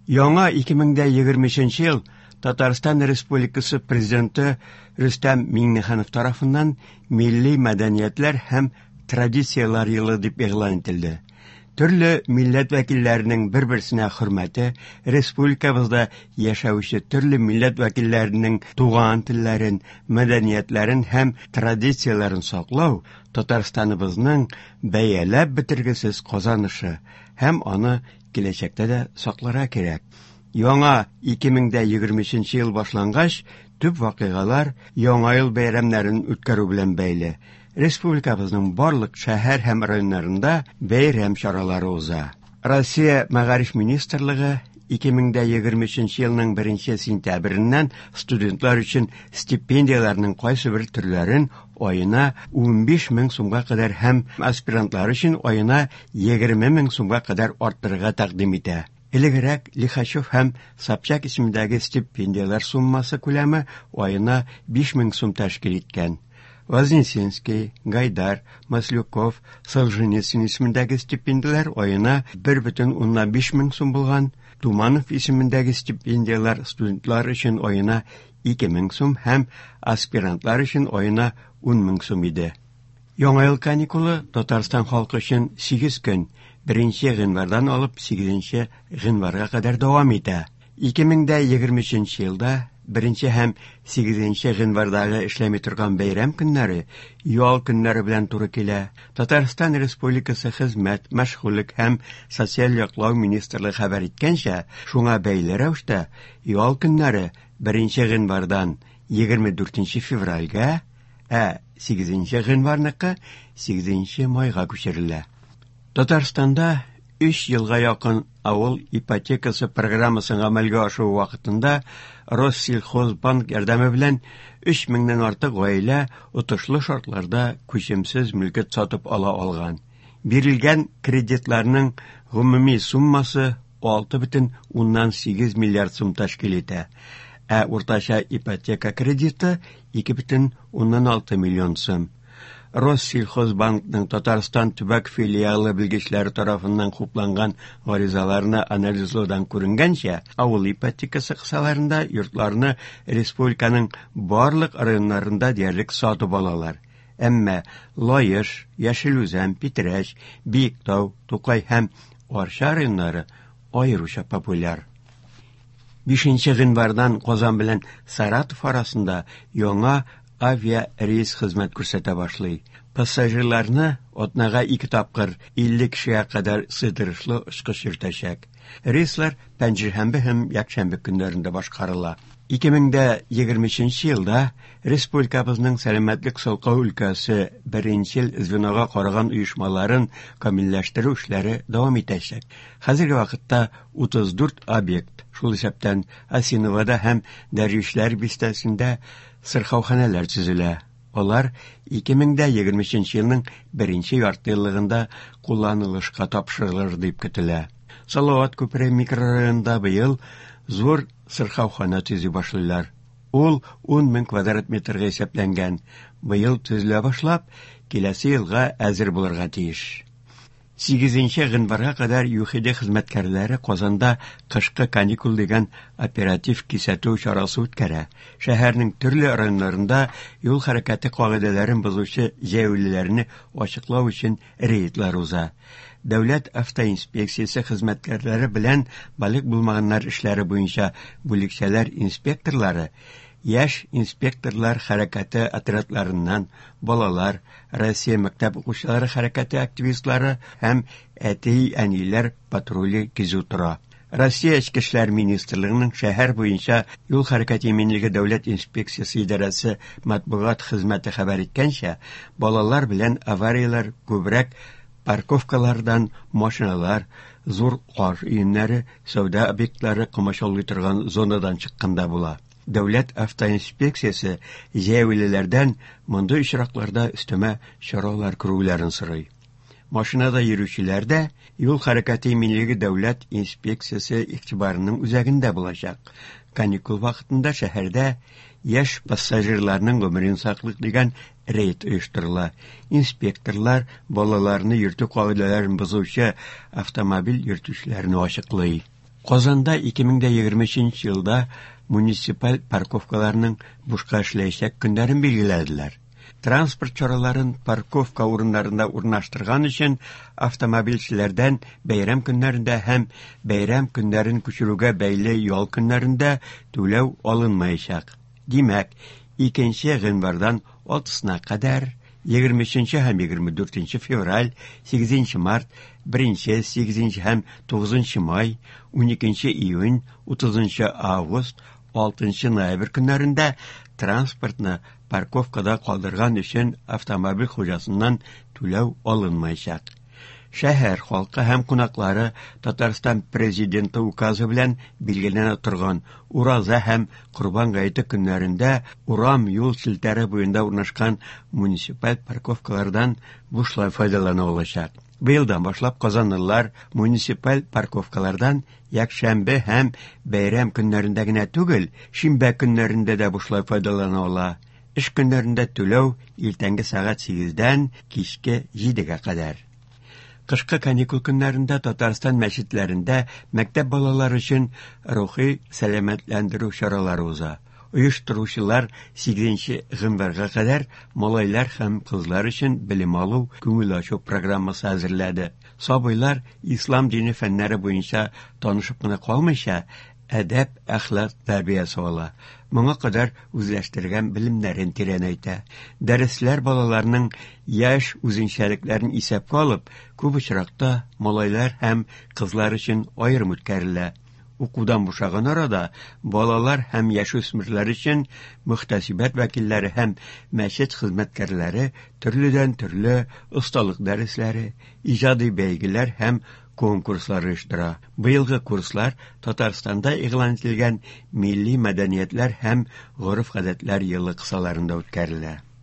Яңа 2023 ел Татарстан Республикасы Президенты Рөстәм Миңнеханов тарафыннан Милли мәдәниятләр һәм традицияләр елы дип игълан ителде. Төрле милләт вәкилләренең бер-берсенә хөрмәте, республикабызда яшәүче төрле милләт вәкилләренең туган телләрен, мәдәниятләрен һәм традицияләрен саклау Татарстаныбызның бәяләп бетергесез казанышы һәм аны киләчәктә дә сакларга кирәк. Яңа 2023 ел башлангач, төп вакыйгалар Яңа ел бәйрәмнәрен үткәрү белән бәйле. Республикабызның барлык шәһәр һәм районнарында бәйрәм чаралары уза. Россия Мәгариф министрлыгы 2023 елның 1 сентябреннән студентлар өчен стипендияләрнең кайсыбер төрләрен аена 15 мең сумга кадәр һәм аспирантлар өчен аена 20 мең сумга кадәр арттырырга тәкъдим итә. Элегрәк Лихачев һәм Собчак исемендәге стипендияләр суммасы күләме аена 5 мең сум тәшкил иткән. Вознесенский, Гайдар, Маслюков, Солженицын исемендәге стипендияләр аена 1,5 мең сум булган, Туманов исемендәге стипендияләр студентлар өчен аена 2 мең сум һәм аспирантлар өчен аена 10 мең сум иде. Яңа ел каникулы Татарстан халкы өчен 8 көн, 1 гыйнвардан алып 8 гыйнварга кадәр дәвам итә. 2023 елда 1 һәм 8 гыйнвардагы эшләми торган бәйрәм көннәре ял көннәре белән туры килә. Татарстан Республикасы Хезмәт, мәшгульлек һәм социаль яклау министрлыгы хәбәр иткәнчә, шуңа бәйле рәвештә ял көннәре 1 гыйнвардан 24 февральгә, ә 8 гыйнварныкы 8 майга күчерелә. Татарстанда 3 елга якын авыл ипотекасы программасын гамәлгә ашыру вакытында Россельхозбанк ярдәме белән 3 меңнән артык гаилә отышлы шартларда күчемсез мөлкәт сатып ала алган. Бирелгән кредитларның гомуми суммасы 6,8 миллиард сум тәшкил итә, ә уртача ипотека кредиты 2,6 миллион сум. Россельхозбанкның Татарстан төбәк филиалы белгечләре тарафыннан хупланган гаризаларны анализлаудан күренгәнчә, авыл ипотекасы кысаларында йортларны республиканың барлык районнарында диярлек сатып алалар. Әмма Лаеш, Яшел Үзән, Питрәч, Биектау, Тукай һәм Арча районнары аеруча популяр. 5 гыйнвардан Казан белән Саратов арасында яңа авиарейс хезмәт күрсәтә башлый. Пассажирларны атнага 2 тапкыр 50 кешегә кадәр сыйдырышлы очкыч йөртәчәк. Рейслар пәнҗешәмбе һәм якшәмбе көннәрендә башкарыла. 2023 елда республикабызның сәламәтлек саклау өлкәсе беренчел звенога караган оешмаларын камилләштерү эшләре дәвам итәчәк. Хәзерге вакытта 34 объект, шул исәптән Осиновода һәм Дәрвишләр бистәсендә сырхауханәләр төзелә. Алар 2023 елның беренче яртыеллыгында кулланылышка тапшырылыр дип көтелә. Салават күпере микрорайонында быел зур сырхаухана төзи башлыйлар. Ул 10 мең квадрат метрга исәпләнгән. Быел төзелә башлап, киләсе елга әзер булырга тиеш. 8 гыйнварга кадәр ЮХИДИ хезмәткәрләре Казанда кышкы каникул дигән оператив кисәтү чарасы үткәрә. Шәһәрнең төрле районнарында юл хәрәкәте кагыйдәләрен бозучы җәяүлеләрне ачыклау өчен рейдлар уза. Дәүләт автоинспекциясе хезмәткәрләре белән балигъ булмаганнар эшләре буенча бүлекчәләр инспекторлары яшь инспекторлар хәрәкәте отрядларыннан балалар, Россия мәктәп укучылары хәрәкәте активистлары һәм әти-әниләр патруле кизү тора. Россия Эчке эшләр министрлыгының шәһәр буенча юл хәрәкәте иминлеге дәүләт инспекциясе идарәсе матбугат хезмәте хәбәр иткәнчә, балалар белән аварияләр күбрәк парковкалардан машиналар, зур кар өемнәре, сәүдә объектлары комачаулый торган зонадан чыкканда була. Дәүләт автоинспекциясе җәяүлеләрдән мондый очракларда өстәмә чаралар күрүләрен сорый. Машинада йөрүчеләр дә юл хәрәкәте иминлеге дәүләт инспекциясе игътибарының үзәгендә булачак. Каникул вакытында шәһәрдә яшь пассажирларның гомерен саклык дигән рейд оештырыла. Инспекторлар балаларны йөртү кагыйдәләрен бозучы автомобиль йөртүчеләрне ачыклый. Казанда 2023 елда муниципаль парковкаларның бушка эшләячәк көннәрен билгеләделәр. Транспорт чараларын парковка урыннарында урнаштырган өчен автомобильчеләрдән бәйрәм көннәрендә һәм бәйрәм көннәрен күчерүгә бәйле ял көннәрендә түләү алынмаячак. Димәк, 2 гыйнвардан 6-сына кадәр, 23 һәм 24 февраль, 8 март, 1, 8 һәм 9 май, 12 июнь, 30 август, 6 ноябрь көннәрендә транспортны парковкада калдырган өчен автомобиль хуҗасыннан түләү алынмаячак. Шәһәр халкы һәм кунаклары Татарстан Президенты указы белән билгеләнә торган Ураза һәм Корбан гаете көннәрендә урам юл челтәре буенда урнашкан муниципаль парковкалардан бушлай файдалана алачак. Быелдан башлап казанлылар муниципаль парковкалардан якшәмбе һәм бәйрәм көннәрендә генә түгел, шимбә көннәрендә дә бушлай файдалана ала. Эш көннәрендә түләү иртәнге сәгать 8-дән кичке 7-гә кадәр. Кышкы каникул көннәрендә Татарстан мәчетләрендә мәктәп балалары өчен рухи сәламәтләндерү чаралары уза. Оештыручылар 8 гыйнварга кадәр малайлар һәм кызлар өчен белем алу, күңел ачу программасы әзерләде. Сабыйлар ислам дине фәннәре буенча танышып кына калмыйча, әдәп, әхлак тәрбиясе ала. Моңа кадәр үзләштергән белемнәрен тирәнәйтә. Дәресләр балаларның яшь үзенчәлекләрен исәпкә алып, күп очракта малайлар һәм кызлар өчен аерым үткәрелә. Укудан бушаган арада балалар һәм яшүсмерләр өчен мөхтәсибәт вәкилләре һәм мәчет хезмәткәрләре төрледән-төрле осталык дәресләре, иҗади бәйгеләр һәм конкурслар оештыра. Быелгы курслар Татарстанда игълан ителгән Милли мәдәниятләр һәм гореф-гадәтләр елы кысаларында үткәрелә.